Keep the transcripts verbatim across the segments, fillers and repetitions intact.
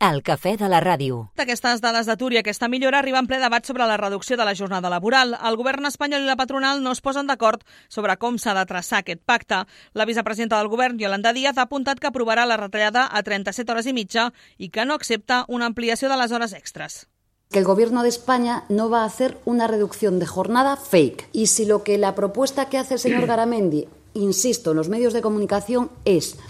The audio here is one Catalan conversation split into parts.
El cafè de la ràdio. Aquestes dades d'atur i aquesta millora arriba en ple debat sobre la reducció de la jornada laboral. El govern espanyol i la patronal no es posen d'acord sobre com s'ha de traçar aquest pacte. La vicepresidenta del govern, Yolanda Díaz, ha apuntat que aprovarà la retallada a trenta-set hores i mitja i que no accepta una ampliació de les hores extres. Que el Gobierno de España no va a hacer una reducción de jornada fake. Y si lo que la propuesta que hace el señor Garamendi, insisto, en los medios de comunicación es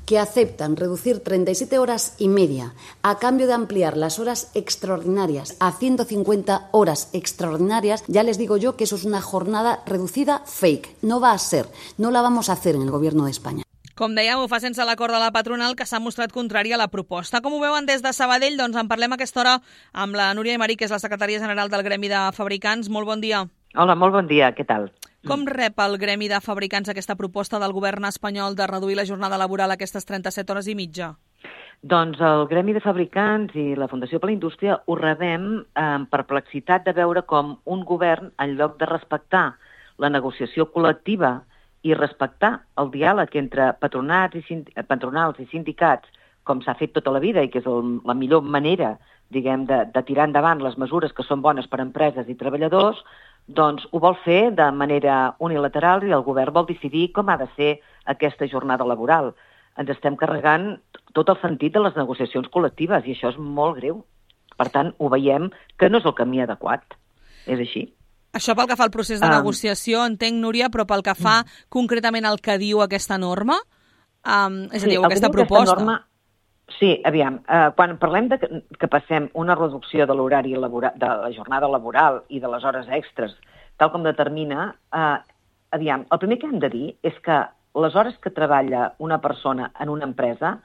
que aceptan reducir treinta y siete horas y media a cambio de ampliar las horas extraordinarias a ciento cincuenta horas extraordinarias, ya les digo yo que eso es una jornada reducida fake. No va a ser, no la vamos a hacer en el Gobierno de España. Com dèiem, ho fa sense l'acord de la patronal, que s'ha mostrat contrària a la proposta. Com ho veuen des de Sabadell? Doncs en parlem a aquesta hora amb la Núria Aymarí, que és la secretària general del Gremi de Fabricants. Molt bon dia. Hola, molt bon dia. Què tal? Com rep el Gremi de Fabricants aquesta proposta del govern espanyol de reduir la jornada laboral a aquestes trenta-set hores i mitja? Doncs el Gremi de Fabricants i la Fundació per la Indústria ho rebem amb perplexitat de veure com un govern, en lloc de respectar la negociació col·lectiva i respectar el diàleg entre patronats i sind... patronals i sindicats, com s'ha fet tota la vida i que és el, la millor manera, diguem, de, de tirar endavant les mesures que són bones per a empreses i treballadors, doncs ho vol fer de manera unilateral i el govern vol decidir com ha de ser aquesta jornada laboral. Ens estem carregant tot el sentit de les negociacions col·lectives i això és molt greu. Per tant, ho veiem que no és el camí adequat. És així. Això pel que fa al procés de um, negociació, entenc, Núria, però pel que fa um, concretament al que diu aquesta norma, um, és a dir, sí, aquesta proposta... Aquesta norma, sí, aviam, uh, quan parlem de que, que passem una reducció de l'horari laboral, de la jornada laboral i de les hores extres, tal com determina, uh, aviam, el primer que hem de dir és que les hores que treballa una persona en una empresa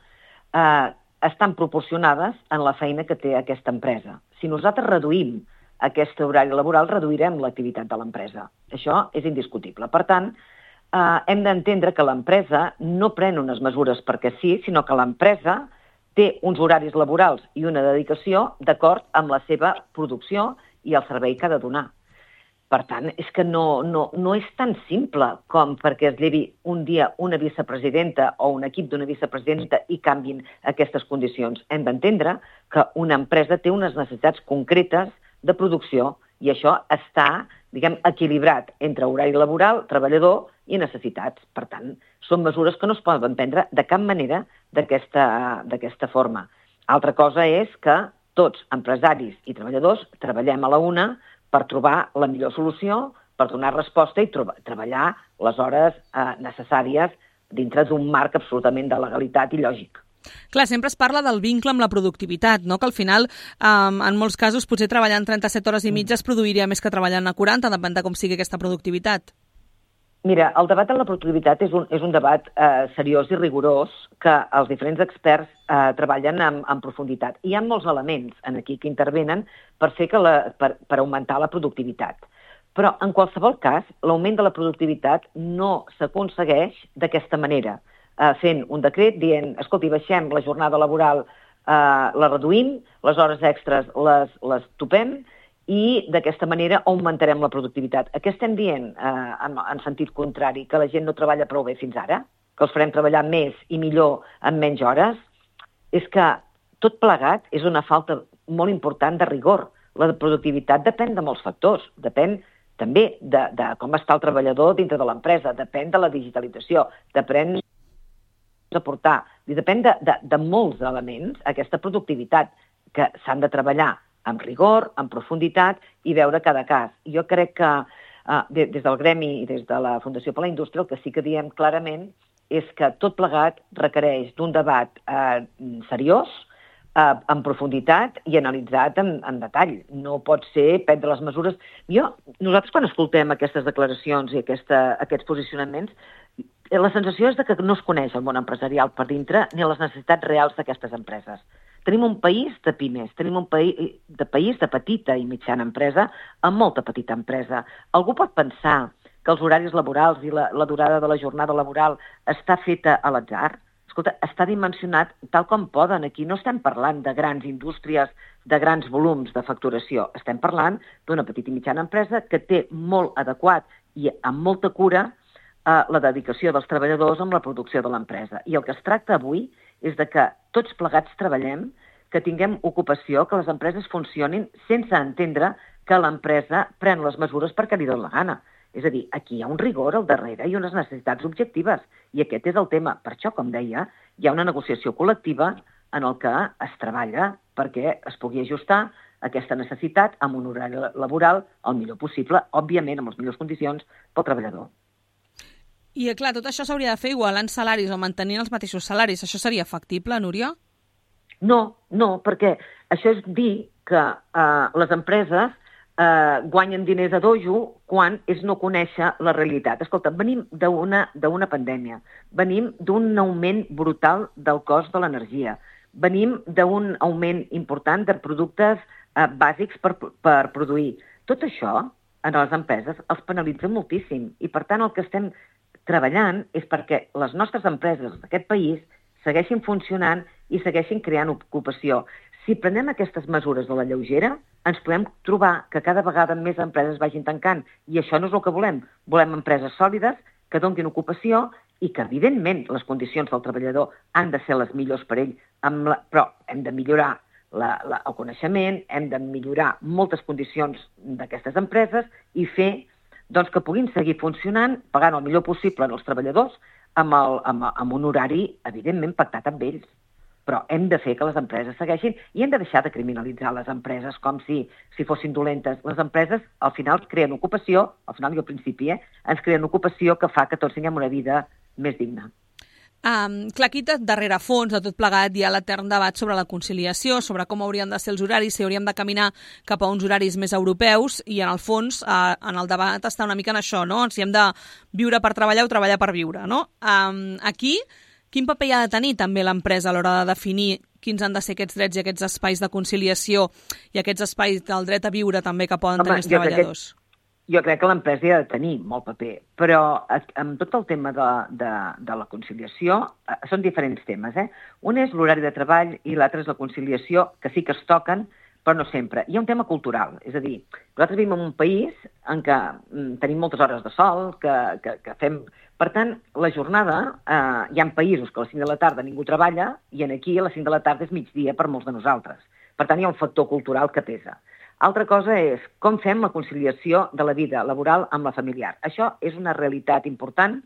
uh, estan proporcionades en la feina que té aquesta empresa. Si nosaltres reduïm aquest horari laboral, reduirem l'activitat de l'empresa. Això és indiscutible. Per tant, eh, hem d'entendre que l'empresa no pren unes mesures perquè sí, sinó que l'empresa té uns horaris laborals i una dedicació d'acord amb la seva producció i el servei que ha de donar. Per tant, és que no, no, no és tan simple com perquè es llevi un dia una vicepresidenta o un equip d'una vicepresidenta i canvin aquestes condicions. Hem d'entendre que una empresa té unes necessitats concretes de producció i això està, diguem, equilibrat entre horari laboral, treballador i necessitats. Per tant, són mesures que no es poden prendre de cap manera d'aquesta d'aquesta forma. Altra cosa és que tots, empresaris i treballadors, treballem a la una per trobar la millor solució, per donar resposta i trobar, treballar les hores eh, necessàries dintre d'un marc absolutament de legalitat i lògic. Clar, sempre es parla del vincle amb la productivitat, no? Que al final, um, en molts casos, potser treballant trenta-set hores i mitja es produiria més que treballant a quaranta, depèn de com sigui aquesta productivitat. Mira, el debat de la productivitat és un, és un debat eh, seriós i rigorós que els diferents experts eh, treballen en, en profunditat. Hi ha molts elements en aquí que intervenen per, fer que la, per, per augmentar la productivitat. Però, en qualsevol cas, l'augment de la productivitat no s'aconsegueix d'aquesta manera, fent un decret dient, escolti, baixem la jornada laboral, eh, la reduïm, les hores extres les, les topem i d'aquesta manera augmentarem la productivitat. Què estem dient eh, en, en sentit contrari? Que la gent no treballa prou bé fins ara? Que els farem treballar més i millor en menys hores? És que tot plegat és una falta molt important de rigor. La productivitat depèn de molts factors, depèn també de, de com està el treballador dintre de l'empresa, depèn de la digitalització, depèn aportar. I depèn de, de, de molts elements, aquesta productivitat, que s'han de treballar amb rigor, amb profunditat i veure cada cas. Jo crec que eh, des del Gremi i des de la Fundació per la Indústria el que sí que diem clarament és que tot plegat requereix d'un debat eh, seriós, eh, en profunditat i analitzat en, en detall. No pot ser prendre les mesures... Jo, nosaltres quan escoltem aquestes declaracions i aquesta, aquests posicionaments, la sensació és de que no es coneix el món empresarial per dintre ni les necessitats reals d'aquestes empreses. Tenim un país de pimes, tenim un país de, país de petita i mitjana empresa amb molta petita empresa. Algú pot pensar que els horaris laborals i la, la durada de la jornada laboral està feta a l'atzar? Escolta, està dimensionat tal com poden. Aquí no estem parlant de grans indústries, de grans volums de facturació. Estem parlant d'una petita i mitjana empresa que té molt adequat i amb molta cura la dedicació dels treballadors amb la producció de l'empresa. I el que es tracta avui és de que tots plegats treballem que tinguem ocupació, que les empreses funcionin sense entendre que l'empresa pren les mesures perquè li dona la gana. És a dir, aquí hi ha un rigor al darrere i unes necessitats objectives. I aquest és el tema. Per això, com deia, hi ha una negociació col·lectiva en el que es treballa perquè es pugui ajustar aquesta necessitat amb un horari laboral el millor possible, òbviament amb les millors condicions pel treballador. I, clar, tot això s'hauria de fer igualant salaris o mantenint els mateixos salaris. Això seria factible, Núria? No, no, perquè això és dir que eh, les empreses eh, guanyen diners a dojo quan és no conèixer la realitat. Escolta, venim d'una d'una pandèmia, venim d'un augment brutal del cost de l'energia, venim d'un augment important de productes eh, bàsics per, per produir. Tot això en les empreses els penalitza moltíssim i, per tant, el que estem treballant és perquè les nostres empreses d'aquest país segueixin funcionant i segueixin creant ocupació. Si prenem aquestes mesures de la lleugera, ens podem trobar que cada vegada més empreses vagin tancant, i això no és el que volem. Volem empreses sòlides que donin ocupació i que, evidentment, les condicions del treballador han de ser les millors per ell, amb la... però hem de millorar la, la, el coneixement, hem de millorar moltes condicions d'aquestes empreses i fer doncs, que puguin seguir funcionant, pagant el millor possible als treballadors, amb, el, amb, amb un horari, evidentment, pactat amb ells. Però hem de fer que les empreses segueixin i hem de deixar de criminalitzar les empreses com si, si fossin dolentes. Les empreses, al final, creen ocupació, al final i al principi, eh, ens creen ocupació que fa que tots tinguem una vida més digna. Um, clar, aquí darrere fons de tot plegat hi ha l'etern debat sobre la conciliació, sobre com haurien de ser els horaris, si hauríem de caminar cap a uns horaris més europeus, i en el fons, uh, en el debat està una mica en això, no? Si hem de viure per treballar o treballar per viure, no? Um, aquí, quin paper hi ha de tenir també l'empresa a l'hora de definir quins han de ser aquests drets i aquests espais de conciliació i aquests espais del dret a viure també que poden Home, tenir els treballadors? Aquest... Jo crec que l'empresa hi ha de tenir molt paper, però amb tot el tema de, de, de la conciliació eh, són diferents temes. Eh? Un és l'horari de treball i l'altre és la conciliació, que sí que es toquen, però no sempre. Hi ha un tema cultural, és a dir, nosaltres vivim en un país en què mm, tenim moltes hores de sol, que, que, que fem... Per tant, la jornada, eh, hi ha països que a les cinc de la tarda ningú treballa i aquí a les cinc de la tarda és migdia per molts de nosaltres. Per tant, hi ha un factor cultural que pesa. Altra cosa és com fem la conciliació de la vida laboral amb la familiar. Això és una realitat important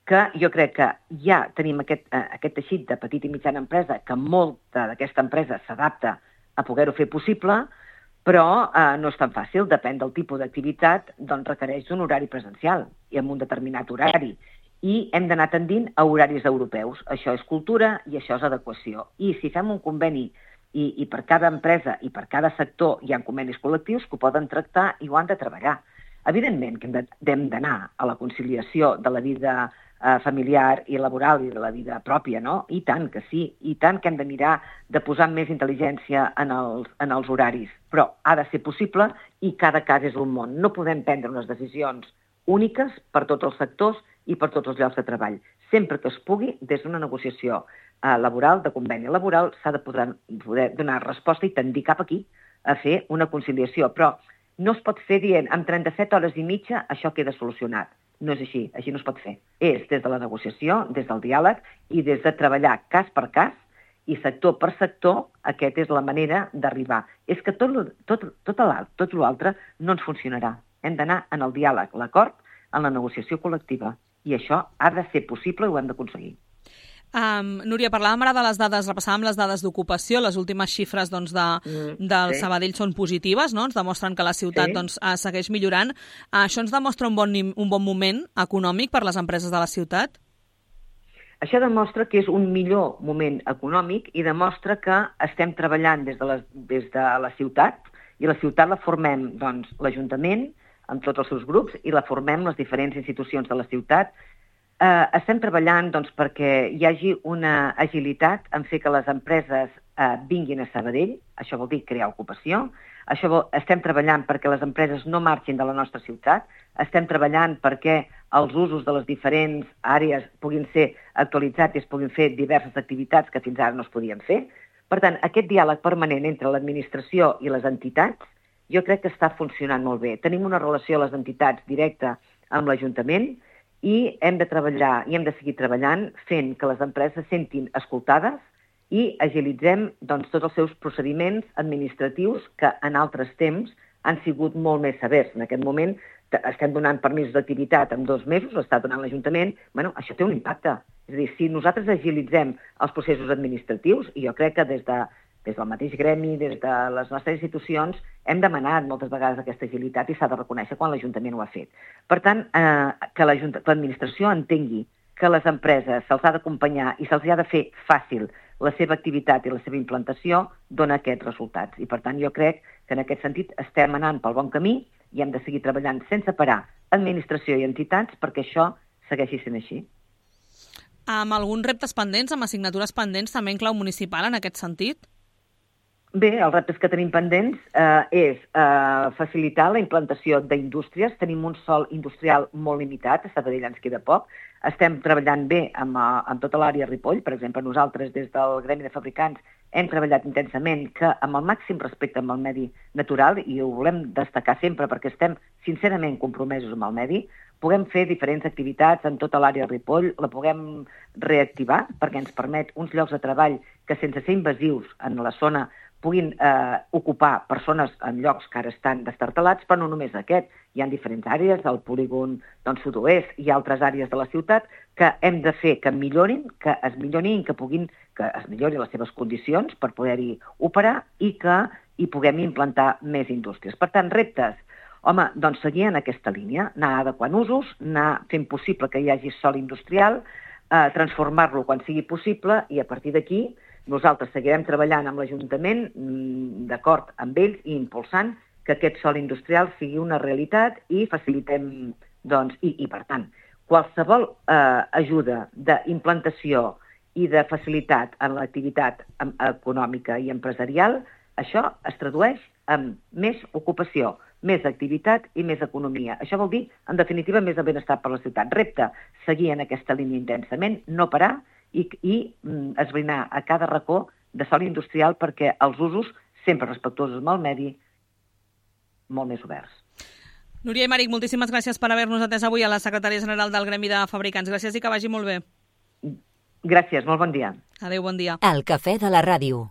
que jo crec que ja tenim aquest, eh, aquest teixit de petita i mitjana empresa, que molta d'aquesta empresa s'adapta a poder-ho fer possible, però eh, no és tan fàcil, depèn del tipus d'activitat, doncs requereix un horari presencial i amb un determinat horari. I hem d'anar tendint a horaris europeus. Això és cultura i això és adequació. I si fem un conveni I, i per cada empresa i per cada sector hi ha convenis col·lectius que ho poden tractar i ho han de treballar. Evidentment que hem d'anar a la conciliació de la vida eh, familiar i laboral i de la vida pròpia, no? I tant que sí, i tant que hem de mirar de posar més intel·ligència en els, en els horaris, però ha de ser possible i cada cas és un món. No podem prendre unes decisions úniques per tots els sectors i per tots els llocs de treball. Sempre que es pugui, des d'una negociació eh, laboral, de conveni laboral, s'ha de poder, poder donar resposta i tendir cap aquí a fer una conciliació. Però no es pot fer dient, amb trenta-set hores i mitja això queda solucionat. No és així, així no es pot fer. És des de la negociació, des del diàleg i des de treballar cas per cas i sector per sector, aquesta és la manera d'arribar. És que tot, tot, tot l'altre tot l'altre no ens funcionarà. Hem d'anar en el diàleg, l'acord, en la negociació col·lectiva. I això ha de ser possible i ho hem d'aconseguir. Um, Núria, parlàvem ara de les dades, repassàvem les dades d'ocupació, les últimes xifres doncs, de, mm, del sí. Sabadell són positives, no? Ens demostren que la ciutat sí. doncs, segueix millorant. Uh, això ens demostra un bon, un bon moment econòmic per les empreses de la ciutat? Això demostra que és un millor moment econòmic i demostra que estem treballant des de la, des de la ciutat i la ciutat la formem doncs, l'Ajuntament, amb tots els seus grups, i la formem les diferents institucions de la ciutat. Eh, estem treballant doncs, perquè hi hagi una agilitat en fer que les empreses eh, vinguin a Sabadell, això vol dir crear ocupació, això vol, estem treballant perquè les empreses no marxin de la nostra ciutat, estem treballant perquè els usos de les diferents àrees puguin ser actualitzats i es puguin fer diverses activitats que fins ara no es podien fer. Per tant, aquest diàleg permanent entre l'administració i les entitats jo crec que està funcionant molt bé. Tenim una relació a les entitats directa amb l'Ajuntament i hem de treballar i hem de seguir treballant fent que les empreses se sentin escoltades i agilitzem doncs, tots els seus procediments administratius que en altres temps han sigut molt més severs. En aquest moment estem donant permisos d'activitat en dos mesos, ho està donant l'Ajuntament, bueno, això té un impacte. És a dir, si nosaltres agilitzem els processos administratius, i jo crec que des, de, des del mateix gremi, des de les nostres institucions, hem demanat moltes vegades aquesta agilitat i s'ha de reconèixer quan l'Ajuntament ho ha fet. Per tant, eh, que l'administració entengui que les empreses se'ls ha d'acompanyar i se'ls ha de fer fàcil la seva activitat i la seva implantació dona aquests resultats. I, per tant, jo crec que en aquest sentit estem anant pel bon camí i hem de seguir treballant sense parar administració i entitats perquè això segueixi sent així. Amb alguns reptes pendents, amb assignatures pendents, també en clau municipal en aquest sentit? Bé, els reptes que tenim pendents eh, és eh, facilitar la implantació d'indústries. Tenim un sòl industrial molt limitat, a Sabadell ens queda poc. Estem treballant bé amb, amb tota l'àrea Ripoll. Per exemple, nosaltres des del Gremi de Fabricants hem treballat intensament que amb el màxim respecte amb el medi natural, i ho volem destacar sempre perquè estem sincerament compromesos amb el medi, puguem fer diferents activitats en tota l'àrea Ripoll, la puguem reactivar perquè ens permet uns llocs de treball que sense ser invasius en la zona puguin eh, ocupar persones en llocs que ara estan destartalats, però no només aquest. Hi ha diferents àrees, el polígon doncs, sud-oest i altres àrees de la ciutat que hem de fer que millorin, que es millorin, que puguin, que es millorin les seves condicions per poder-hi operar i que hi puguem implantar més indústries. Per tant, reptes. Home, doncs seguir en aquesta línia, anar adequant usos, anar fent possible que hi hagi sòl industrial, eh, transformar-lo quan sigui possible i a partir d'aquí nosaltres seguirem treballant amb l'Ajuntament, d'acord amb ells, i impulsant que aquest sòl industrial sigui una realitat i facilitem, doncs, i, i per tant, qualsevol eh, ajuda d'implantació i de facilitat en l'activitat econòmica i empresarial, això es tradueix en més ocupació, més activitat i més economia. Això vol dir, en definitiva, més de benestar per la ciutat. Repte, seguir en aquesta línia intensament, no parar, i, i mm, esbrinar a cada racó de sòl industrial perquè els usos, sempre respectuosos amb el medi, molt més oberts. Núria Aymeric, moltíssimes gràcies per haver-nos atès avui a la secretària general del Gremi de Fabricants. Gràcies i que vagi molt bé. Gràcies, molt bon dia. Adéu, bon dia. El cafè de la ràdio.